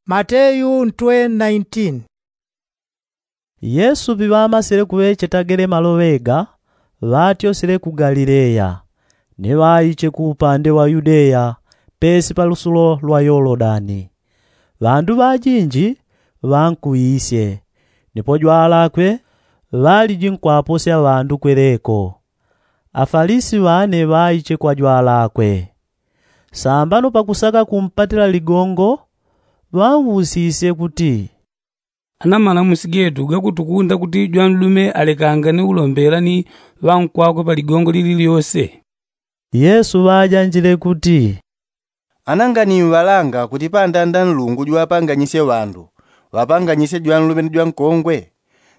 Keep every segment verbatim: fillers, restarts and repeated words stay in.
Mateyu ntwe nineteen. Yesu piŵamasile kuŵecheta gele maloŵe ga, ŵatyosile ku galileya, ni ŵaiche ku upande wa yudeya, pesi pa lusulo lwa yolodani. Ŵandu ŵajinji ŵankuwisye, nipo jwalakwe ŵaliji nkwaposya ŵandu kweleko. Afalisi ŵane ŵaiche kwa jwalakwe. Sambano pakusaka kumpatila ligongo, ŵanwusisye kuti, ana malamusi getu gakutukunda kuti jwanlume alekangane ulombela ni ŵankwakwe pa ligongo lililyose? Yesu ŵajanjile kuti, ana nganiwalanga kuti pandanda nlungu jwapanganyisye ŵandu, ŵapanganyisye jwanlume ni jwankongwe?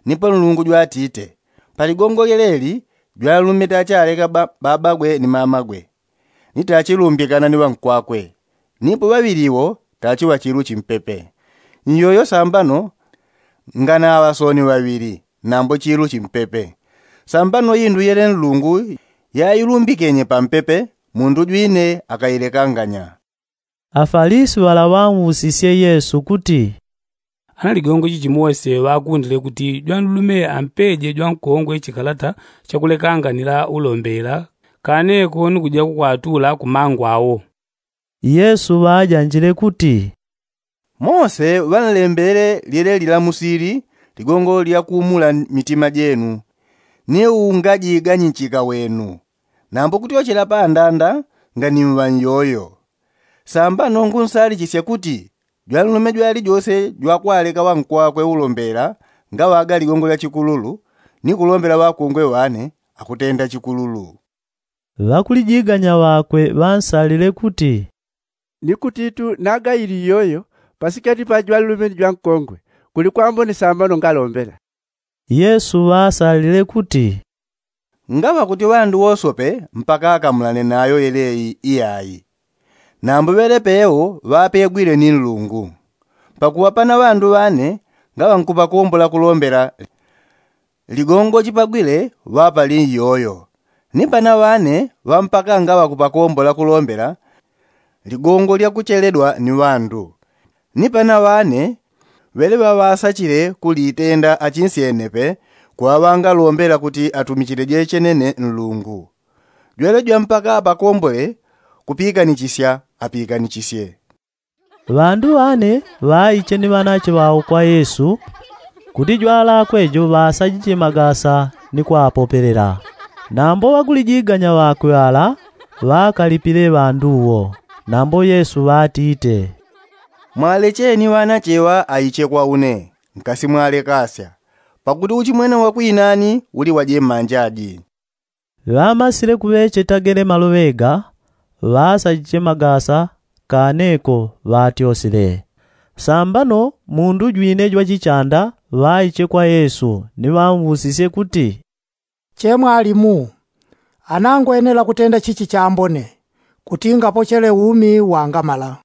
Nipo nlungu jwatite, pa ligongo lyeleli jwanlume tachaleka babagwe ni mamagwe, ni tachilumbikana ni ŵankwakwe, nipo ŵaŵili wo tachiŵa chilu chimpepe. Nyoyo sambano nganaŵa soni ŵaŵili nambo chilu chimpepe. Sambano indu yele nlungu yailumbikenye pampepe, mundu jwine akailekanganya. Afalisi ŵala ŵanwusisye yesu kuti, ana ligongo chichi mose ŵakundile kuti jwanlume ampeje jwankongwe chikalata chakulekanganila ulombela, kaneko ni kuja kukwatula ku mangu awo? Yesu ŵajanjile kuti, mose ŵanlembele lyeleli lamusili ligongo lyakuumula mitima jenu, ni ungajiganyichika wenu. Nambo kutyochela pandanda nganiwuŵa nyoyo. Sambano ngunsalichisya kuti jwanlume jwalijose jwakwaleka ŵankwakwe ulombela ngaŵaga ligongo lya chikululu, ni kulombela ŵakongwe ŵane akutenda chikululu. Ŵakulijiganya ŵakwe ŵansalile kuti, ni kutitu naga ili iyoyo pasikati pa jwanlume ni jwankongwe, kuli kwambone sambano ngalombela? Yesu ŵaasalile kuti, ngaŵa kuti ŵandu wosope mpaka akamulane nayo yeleyi iyayi. Nambo ŵele pewo ŵapegwile ni nlungu. Pakuŵa pana ŵandu ŵane ngaŵa nkupakombola kulombela ligongo chipagwile ŵapali nyoyo. Ni pana ŵane ŵampaka ngaŵa kupakombola kulombela ligongo lyakucheledwa ni ŵandu. Ni pana ŵane ŵele ŵaŵasachile kulitenda achinsyene pe, kuŵa ŵangalombela kuti atumichile jechenene nlungu. Jwele jwampaka apakombole kupikanichisya apikanichisye. Ŵandu ŵane ŵaiche ni ŵanache ŵao kwa yesu, kuti jwalakwe jo ŵasajiche magasa ni kwapopelela. Nambo ŵakulijiganya ŵakwe ŵala ŵakalipile ŵandu wo. Nambo yesu ŵatite, mwalecheni ŵanache ŵa aiche kwa une, nkasimwalekasya, pakuti uchimwene wa kwinani uli wa jemanja ji. Ŵamasile kuŵecheta gele maloŵe ga, ŵasajiche magasa kaneko ŵatyosile. Sambano mundu jwine jwachichanda ŵaiche kwa yesu ni ŵamwusisye kuti, che mwalimu, ana ngwenela kutenda chichi chambone kuti ngapochele umi wangamala?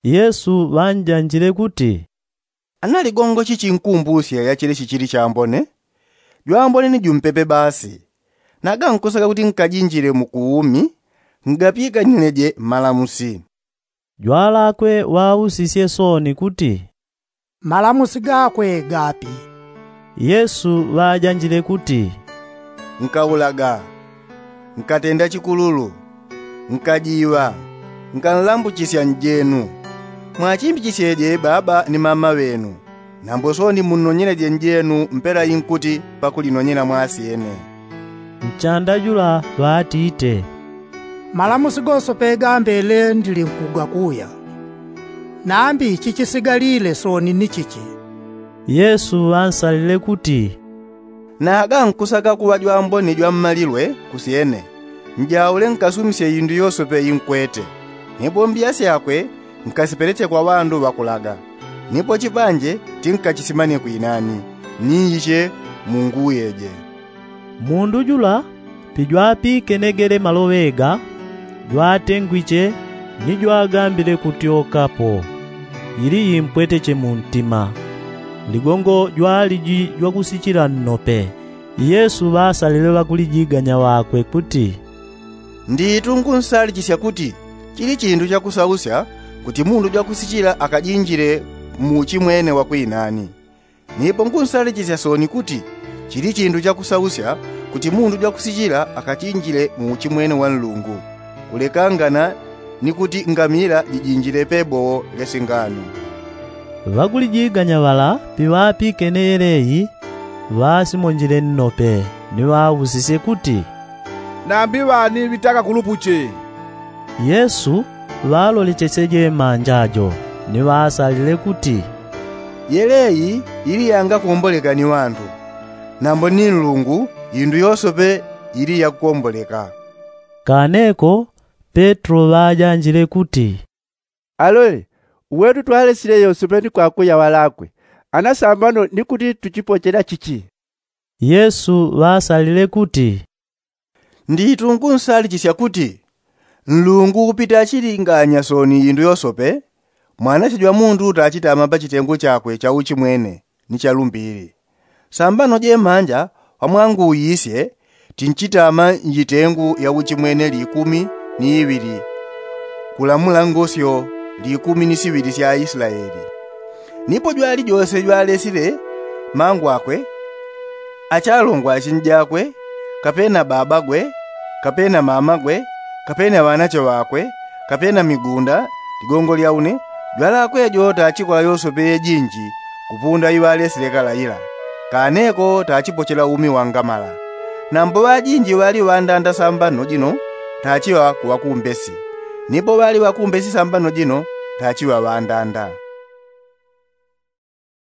Yesu ŵanjanjile kuti, ana ligongo chichinkumbusya ya chilichi chili chambone? Jwambone ni jumpepe basi. Naga nkusaka kuti nkajinjile mu kuumi, ngapikanileje malamusi. Jwalakwe ŵausisye soni kuti, malamusi gakwe gapi? Yesu ŵajanjile kuti, nkaulaga, nkatenda chikululu, nkajiŵa, nkanlambuchisya njenu. Mwachimbichisyeje baba ni mama ŵenu, nambo soni munnonyeleje njenu mpela inkuti pakulinonyela mwasyene. Nchanda jula ŵatite, malamusi gose pegambele ndilinkugakuya, nambi chichisigalile soni ni chichi? Yesu ŵansalile kuti, naga nkusaka kuŵa jwambone jwammalilwe kusyene, njaule nkasumisye indu yosepe inkwete, ni bombi yasyakwe nkasipeleche kwa ŵandu ŵakulaga. Nipo chipanje tinkachisimane kwinani, niiche munguyeje. Mundu jula pijwapikenegele maloŵe ga, jwatengwiche ni jwagambile kutyokapo, ili yimpweteche muntima. Ligongo jwaliji jwakusichila nnope. Yesu ŵasalile ŵakulijiganya ŵakwe kuti, nditu ngunsalichisya kuti chili chindu chakusausya kuti mundu jwakusichila akajinjile Muuchimwene wa kwinani. Nipo ngunsalichisya soni kuti chili chindu chakusausya kuti mundu jwakusichila akachinjile muuchimwene wa nlungu, kulekangana ni kuti ngamila jijinjile pebowo lya singano. Ŵakulijiganya ŵala piŵapikene yeleyi ŵasimonjile nnope, ni ŵausisye kuti, nambi ŵani ŵitaka kulupuche? Yesu ŵalolechesye jemanja jo, ni ŵaasalile kuti, yeleyi ili yangakomboleka ni ŵandu, nambo ni nlungu indu yosope ili yakukomboleka. Kaneko petro ŵajanjile kuti, alole, uwetu twalesile yosope ni kwakuya ŵalakwe, ana sambano ni kuti tuchipochela chichi? Yesu ŵaasalile kuti, nditu ngunsalichisya kuti nlungu upita achilinganya soni indu yosope, mwanache jwa mundu tachitama pa chitengu chakwe cha uchimwene ni cha lumbili. Sambano jemanja pamwanguuyisye tinchitama njitengu ya uchimwene likumi ni iŵili, kulamula ngosyo likumi ni siŵili sya aislaeli. Nipo jwalijose jwalesile mangwakwe, achalongwa achinjakwe, kapena babagwe, kapena mamagwe, kapena ŵanache ŵakwe, kapena migunda, ligongo lya une, jwalakwe jo tachikola yosope yejinji kupunda iŵalesile kala ila. Kaneko tachipochela umi wangamala. Nambo ŵajinji ŵali ŵandanda sambano jino tachiŵa ku ŵakumbesi, nipo ŵali ŵakumbesi sambano jino tachiŵa ŵandanda.